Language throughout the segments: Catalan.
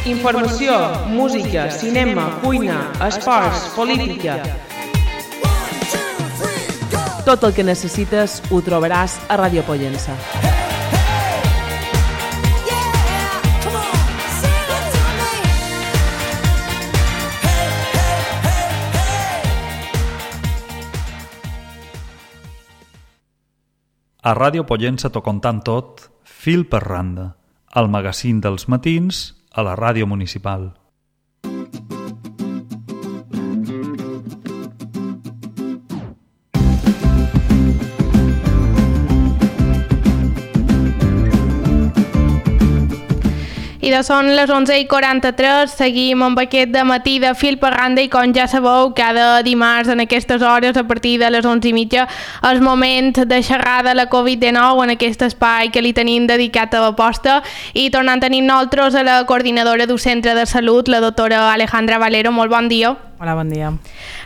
Informació, música, cinema, cuina, esports, política. Tot el que necessites ho trobaràs a Ràdio Pollença. A Ràdio Pollença t'ho contant tot, fil per randa, el magazín dels matins a la ràdio municipal. I són les 11:43, seguim amb aquest dematí de fil per randa i com ja sabeu, cada dimarts en aquestes hores a partir de les 11:30 és moment de xerrar de la Covid-19 en aquest espai que li tenim dedicat a l'aposta i tornant a tenir nosaltres a la coordinadora d'un centre de salut, la doctora Alejandra Valero. Molt bon dia. Hola, bon dia.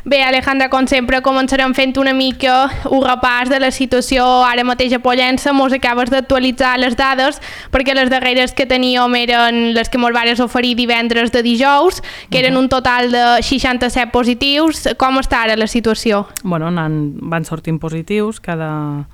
Bé, Alejandra, com sempre, començarem fent una mica un repàs de la situació ara mateix a Pollença. Mos acabes d'actualitzar les dades, perquè les darreres que teníem eren les que mos vares oferir divendres de dijous, que eren un total de 67 positius. Com està ara la situació? Bueno, van sortint positius cada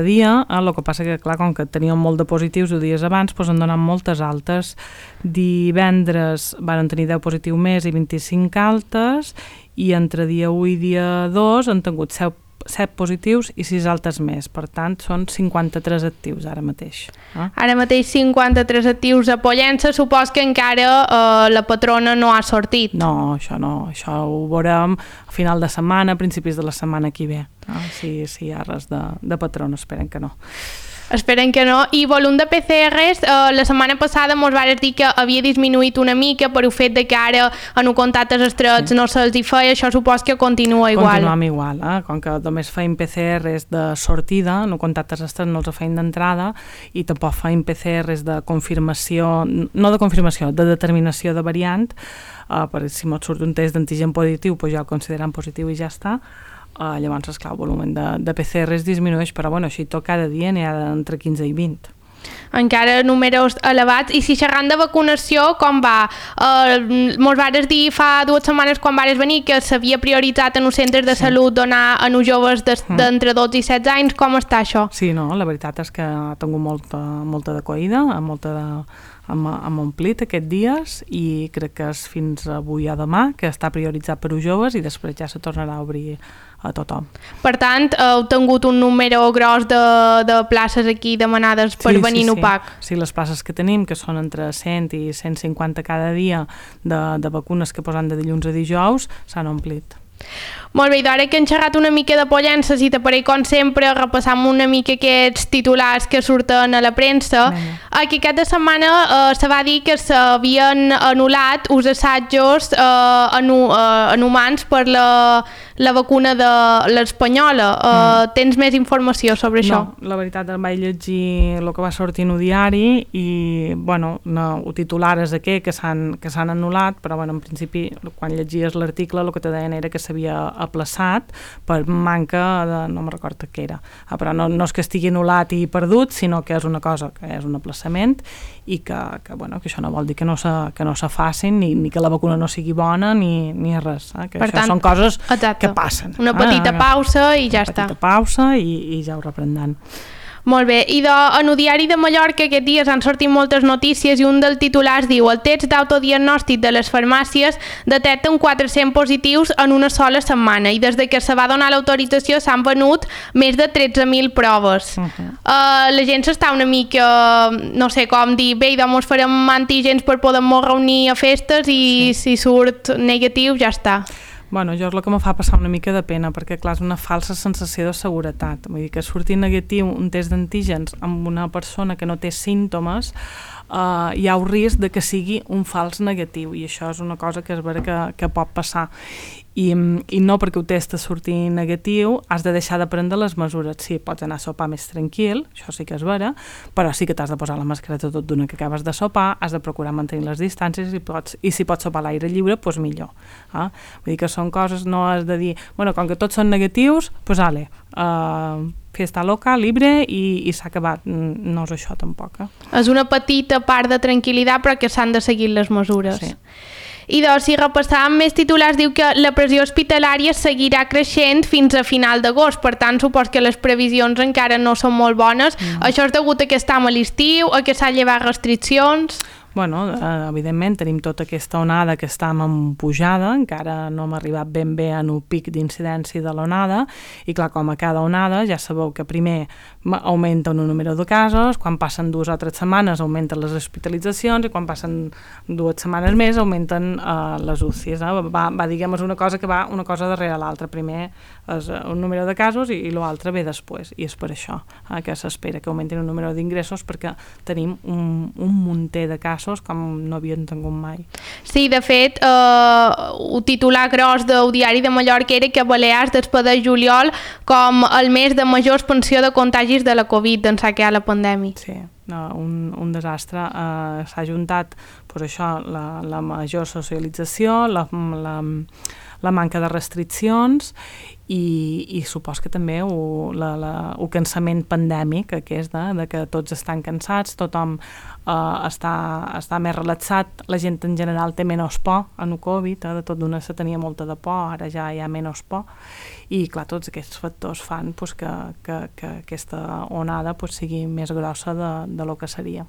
dia, el que passa que, clar, com que teníem molt de positius dies abans, doncs han donat moltes altes. Divendres van tenir 10 positius més i 25 altes, i entre dia 1 i dia 2 han tingut 7 positius i 6 altes més. Per tant, són 53 actius ara mateix. Ara mateix 53 actius a Pollença. Supos que encara la patrona no ha sortit. No, això ho veurem a final de setmana, a principis de la setmana que ve. Si hi ha res de patrona, esperen que no. Esperen que no. I volum de PCRs, la setmana passada mos vares dir que havia disminuït una mica per el fet de que ara en contactes estrets no se'ls hi feia. Això supos que continua igual. Continuem igual, com que només feim PCRs de sortida, no contactes estrets no els feim d'entrada, i tampoc feim PCRs de confirmació, no de confirmació, de determinació de variant, per si mos surt un test d'antigen positiu, doncs ja el considerem positiu i ja està. Llavors, esclar, el volum de PCRs disminueix, però bueno, així tot cada dia n'hi ha entre 15 i 20. Encara números elevats. I si xerrant de vacunació, com va? Mos vares dir fa 2 setmanes quan vares venir que s'havia prioritzat en els centres de salut donar a uns joves d'entre 12 i 16 anys. Com està això? Sí, no, la veritat és que ha tingut molta d'acollida, hem omplit aquests dies, i crec que és fins avui a demà que està prioritzat per als joves i després ja se tornarà a obrir a tothom. Per tant, heu tingut un número gros de places aquí demanades per venir en UPAC. Sí, les places que tenim, que són entre 100 i 150 cada dia de vacunes que posen de dilluns a dijous, s'han omplit. Molt bé, i d'ara que hem xerrat una mica de Pollença, si t'apareix com sempre, repassam una mica aquests titulars que surten a la premsa. Aquí aquesta setmana se va dir que s'havien anul·lat uns assajos en humans per la vacuna de l'espanyola. Tens més informació sobre això? No, la veritat em vaig llegir el que va sortir en el diari i, bueno, el titular és aquest, que s'han anul·lat, però, bueno, en principi, quan llegies l'article, el que te deien era que s'havia aplaçat per manca de... no me'n recordo què era. Però no és que estigui anul·lat i perdut, sinó que és una cosa, que és un aplaçament, i que això no vol dir que no se facin, ni que la vacuna no sigui bona, ni res. Que per això tant, són coses que passen. Una petita pausa i ja està. Una petita pausa i ja ho reprendran. Molt bé, i en el diari de Mallorca aquests dies han sortit moltes notícies i un dels titulars diu: el test d'autodiagnòstic de les farmàcies detecten 400 positius en una sola setmana, i des que se va donar l'autorització s'han venut més de 13.000 proves. La gent s'està una mica, no sé com dir, bé, doncs farem antígens per poder-nos reunir a festes i si surt negatiu ja està. Bueno, jo és el que em fa passar una mica de pena, perquè clar, és una falsa sensació de seguretat. Vull dir que surti negatiu un test d'antígens amb una persona que no té símptomes, hi ha un risc de que sigui un fals negatiu, i això és una cosa que és vera que pot passar. I no perquè el test surti negatiu has de deixar de prendre les mesures. Sí, pots anar a sopar més tranquil, això sí que és vera, però sí que t'has de posar la mascareta tot d'una que acabes de sopar, has de procurar mantenir les distàncies i si pots sopar a l'aire lliure, doncs millor. Vull dir que són coses, no has de dir, bueno, com que tots són negatius, doncs fiesta loca, libre i s'ha acabat. No és això tampoc. És una petita part de tranquil·litat però que s'han de seguir les mesures. Sí. I doncs, si repassàvem més titulars, diu que la pressió hospitalària seguirà creixent fins a final d'agost, per tant, supos que les previsions encara no són molt bones. Això és degut a que estem a l'estiu, a que s'han llevat restriccions... Bueno, evidentment tenim tota aquesta onada que està en pujada, encara no hem arribat ben bé en un pic d'incidència de l'onada, i clar, com a cada onada ja sabeu que primer augmenta un número de casos, quan passen 2 o 3 setmanes augmenten les hospitalitzacions i quan passen 2 setmanes més augmenten les UCIs. Va, diguem, és una cosa que va una cosa darrere l'altra. Primer és un número de casos i l'altre ve després, i és per això que s'espera que augmentin el número d'ingressos, perquè tenim un munter de casos com no havien tingut mai. Sí, de fet, el titular gros del Diari de Mallorca era que Balears despedeix juliol com el mes de major expansió de contagis de la Covid d'ençà que hi ha la pandèmia. Sí, un desastre. S'ha juntat pues, això, la major socialització, la manca de restriccions i supos que també el cansament pandèmic, que és de que tots estan cansats, tothom està més relaxat, la gent en general té menys por en el Covid, de tot d'una se tenia molta de por, ara ja hi ha menys por, i clar, tots aquests factors fan pues, que aquesta onada pues, sigui més grossa de lo que seria.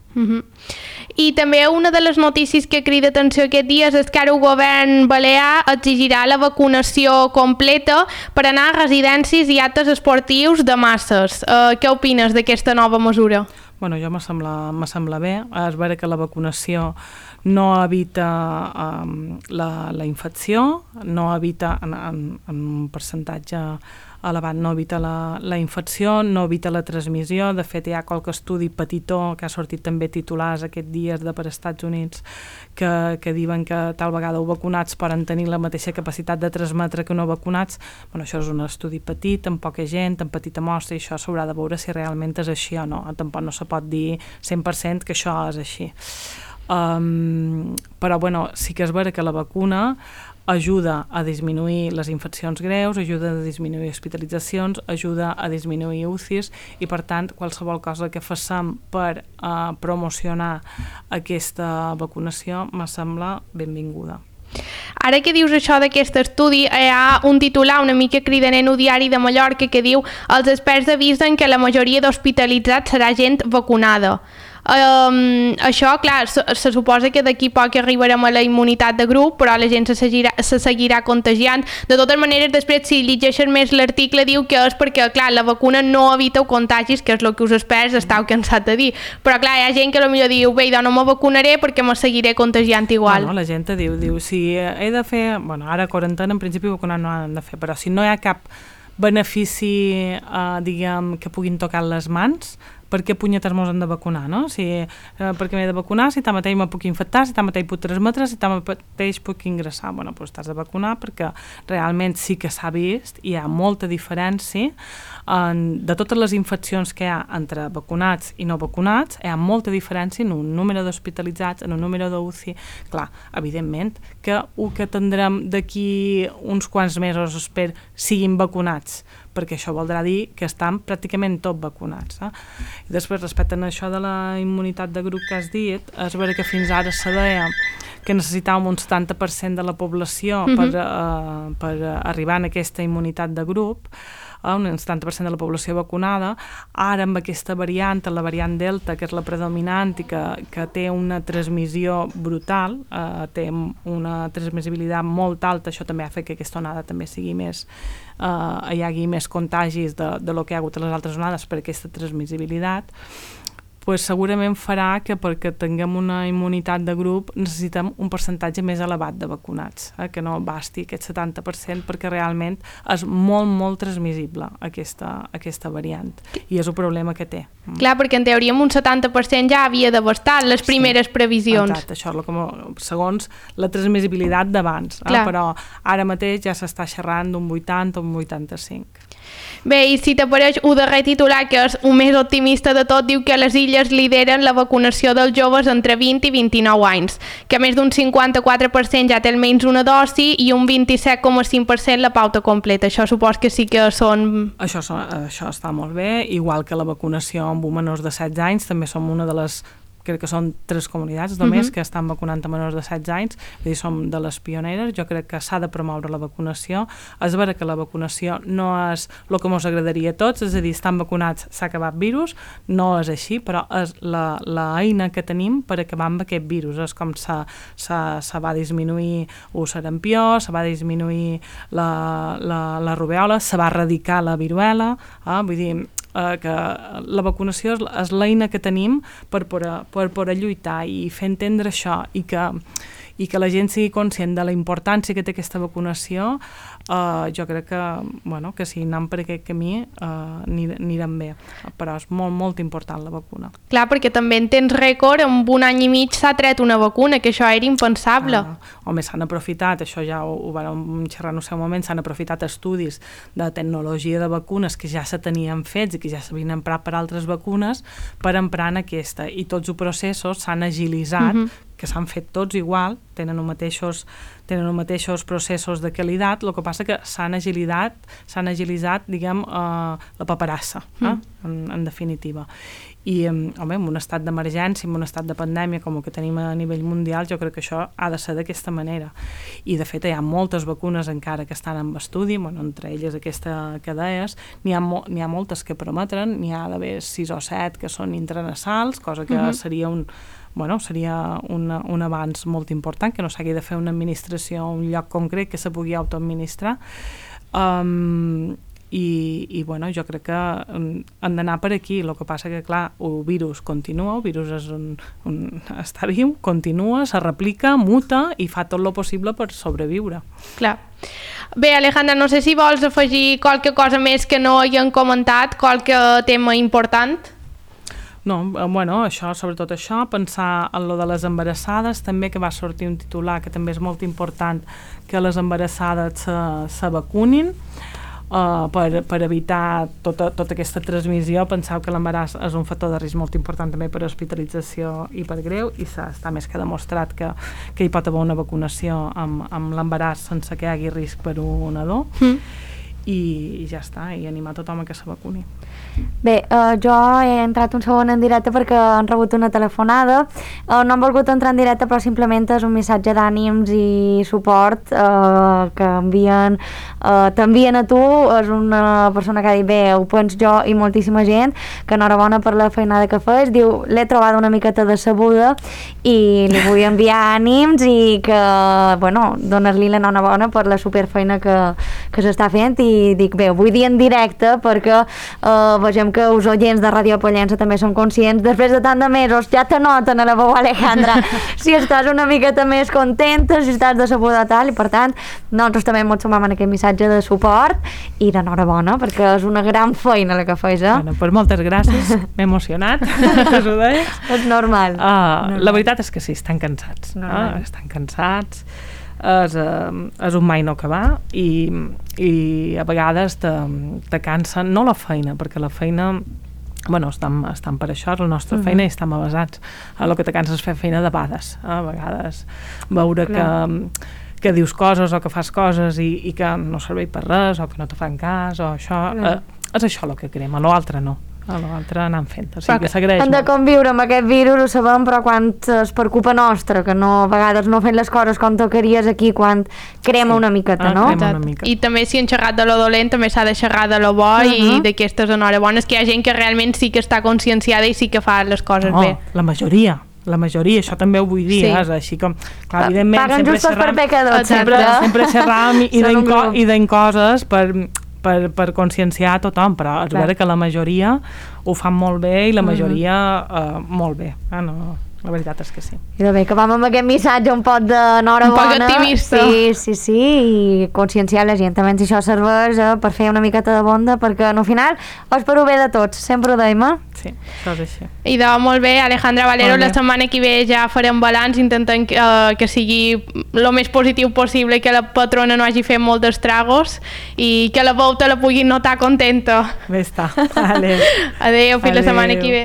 I també una de les notícies que crida atenció aquests dies és que ara el govern balear exigirà la vacunació completa per anar a residències i actes esportius de masses. Què opines d'aquesta nova mesura? Bueno, jo me sembla bé. És vera que la vacunació no evita la infecció, no evita en un percentatge elevat, no evita la infecció, no evita la transmissió. De fet, hi ha qualque estudi petitó que ha sortit també titulars aquests dies per Estats Units que diuen que tal vegada els vacunats poden tenir la mateixa capacitat de transmetre que no vacunats. Bueno, això és un estudi petit, amb poca gent, amb petita mostra, i això s'haurà de veure si realment és així o no. Tampoc no se pot dir 100% que això és així. Però bueno, sí que és vera que la vacuna ajuda a disminuir les infeccions greus, ajuda a disminuir hospitalitzacions, ajuda a disminuir UCIs, i per tant qualsevol cosa que facem per promocionar aquesta vacunació me sembla benvinguda. Ara que dius això d'aquest estudi, hi ha un titular una mica cridaner en el Diari de Mallorca que diu: els experts avisen que la majoria d'hospitalitzats serà gent vacunada. Això, clar, se suposa que d'aquí poc arribarem a la immunitat de grup, però la gent se seguirà contagiant. De totes maneres, després, si llegeixes més l'article, diu que és perquè, clar, la vacuna no evita contagis, que és el que us experts estàu cansats de dir. Però, clar, hi ha gent que potser diu: bé, doncs no me vacunaré perquè me seguiré contagiant igual. Bueno, la gent diu, si he de fer... Bueno, ara quarantena, en principi, vacunar no han de fer, però si no hi ha cap benefici, diguem, que puguin tocar les mans, per què punyetes mos han de vacunar, no? Per què m'he de vacunar si tanmateix me puc infectar, si tanmateix puc transmetre, si tanmateix puc ingressar? Bueno, doncs t'has de vacunar perquè realment sí que s'ha vist, hi ha molta diferència de totes les infeccions que hi ha entre vacunats i no vacunats, hi ha molta diferència en un número d'hospitalitzats, en un número d'UCI. Clar, evidentment que el que tindrem d'aquí uns quants mesos, espero, siguin vacunats, perquè això voldrà dir que estan pràcticament tots vacunats. I després, respecte a això de la immunitat de grup que has dit, és vera que fins ara se deia que necessitàvem un 70% de la població per arribar a aquesta immunitat de grup, un 70% de la població vacunada. Ara amb aquesta variant, la variant Delta, que és la predominant i que té una transmissió brutal, té una transmissibilitat molt alta, això també ha fet que aquesta onada també sigui més, hi hagi més contagis de lo que hi ha hagut a les altres onades per aquesta transmissibilitat, pues segurament farà que perquè tinguem una immunitat de grup necessitem un percentatge més elevat de vacunats, que no basti aquest 70%, perquè realment és molt, molt transmissible aquesta variant, i és el problema que té. Clar, perquè en teoria un 70% ja havia de bastar les primeres previsions. Exacte, això és segons la transmissibilitat d'abans, però ara mateix ja s'està xerrant d'un 80 o un 85%. Bé, i si t'apareix un darrer titular, que és un més optimista de tot, diu que les Illes lideren la vacunació dels joves entre 20 i 29 anys, que més d'un 54% ja té almenys una dosi i un 27,5% la pauta completa. Això supos que sí que són... Això està molt bé, igual que la vacunació amb menors de 16 anys, també som una de les... crec que són 3 comunitats només que estan vacunant a menors de 16 anys, vull dir, som de les pioneres. Jo crec que s'ha de promoure la vacunació. És vera que la vacunació no és el que ens agradaria a tots, és a dir, estan vacunats, s'ha acabat virus, no és així, però és l'eina que tenim per acabar amb aquest virus. És com se va disminuir el sarampió, se va disminuir la rubèola, se va erradicar la viruela, vull dir, que la vacunació és l'eina que tenim per poder lluitar i fer entendre això i que la gent sigui conscient de la importància que té aquesta vacunació. Jo crec que si anem per aquest camí anirem bé, però és molt, molt important la vacuna. Clar, perquè també en temps rècord, en un any i mig s'ha tret una vacuna, que això era impensable. Home, s'han aprofitat, això ja ho vam xerrar en el seu moment, s'han aprofitat estudis de tecnologia de vacunes que ja se tenien fets i que ja s'havien emprat per altres vacunes per emprar en aquesta, i tots els processos s'han agilitzat, que s'han fet tots igual, tenen els mateixos processos de qualitat, el que passa que s'han agilitzat, diguem, la paperassa, en definitiva. I, home, en un estat d'emergència, en un estat de pandèmia com el que tenim a nivell mundial, jo crec que això ha de ser d'aquesta manera. I, de fet, hi ha moltes vacunes encara que estan en estudi, entre elles aquesta que deies, n'hi ha moltes que prometren, n'hi ha d'haver 6 o 7 que són intranasals, cosa que seria un avanç molt important, que no s'hagi de fer una administració a un lloc concret, que se pugui autoadministrar. I jo crec que han d'anar per aquí. El que passa que, clar, el virus continua, el virus està viu, continua, se replica, muta i fa tot el possible per sobreviure. Clar. Bé, Alejandra, no sé si vols afegir qualque cosa més que no haguem comentat, qualque tema important. No, sobretot això, pensar en lo de les embarassades, també, que va sortir un titular que també és molt important, que les embarassades se vacunin per evitar tota aquesta transmissió. Penseu que l'embaràs és un factor de risc molt important també per hospitalització i per greu, i està més que demostrat que hi pot haver una vacunació amb l'embaràs sense que hi hagi risc per un nadó. I ja està, i animar tothom a que se vacuni. Bé, jo he entrat un segon en directe perquè han rebut una telefonada. No han volgut entrar en directe, però simplement és un missatge d'ànims i suport que t'envien a tu. És una persona que ha dit, bé, ho penso jo i moltíssima gent, que enhorabona per la feinada que fes. Diu, l'he trobada una miqueta decebuda i li vull enviar ànims i que, donar-li l'enhorabona per la superfeina que s'està fent. I dic, bé, ho vull dir en directe perquè vegem que els oients de Ràdio Pollença també són conscients. Després de tant de mesos ja te noten a la veu, Alejandra, si estàs una miqueta més contenta, si estàs decebuda tal, i per tant nosaltres també ens sumam en aquest missatge de suport i d'enhorabona, perquè és una gran feina la que fas, Pues moltes gràcies, m'he emocionat. És normal. La veritat és que sí, estan cansats. Estan cansats, és un mai no acabar, i a vegades te cansa, no la feina, perquè la feina, estan per això, és la nostra feina i estem avasats. El que te cansa és fer feina de bades, a vegades veure que dius coses o que fas coses i que no serveix per res, o que no te fan cas, o això, és això el que crema, l'altre no. A l'altre anant fent, o sigui que s'agraeix molt. Hem de conviure amb aquest virus, ho sabem, però quan és per culpa nostra, que a vegades no fem les coses com tocaries aquí, quan crema una miqueta, no? I també si hem xerrat de lo dolent, també s'ha de xerrar de lo bo i d'aquestes enhorabones, que hi ha gent que realment sí que està conscienciada i sí que fa les coses bé. La majoria, això també ho vull dir, és així com, clar, evidentment, paguen justos per pecadors, sempre xerram i deim coses per conscienciar a tothom, però és vera que la majoria ho fan molt bé i la majoria molt bé. la veritat és que sí. I de bé, que vam amb aquest missatge un poc d'enhorabona. Un poc optimista. Sí, i conscienciar la gent. També si això serveix per fer una miqueta de bonda, perquè al final és per ho bé de tots, sempre ho deim, Sí, això és així. I de molt bé, Alejandra Valero, la setmana que ve ja farem balanç, intentem que sigui el més positiu possible, que la patrona no hagi fet molts estragos i que la volta la pugui notar contenta. Bé està. Vale. Adéu, fins la setmana que ve.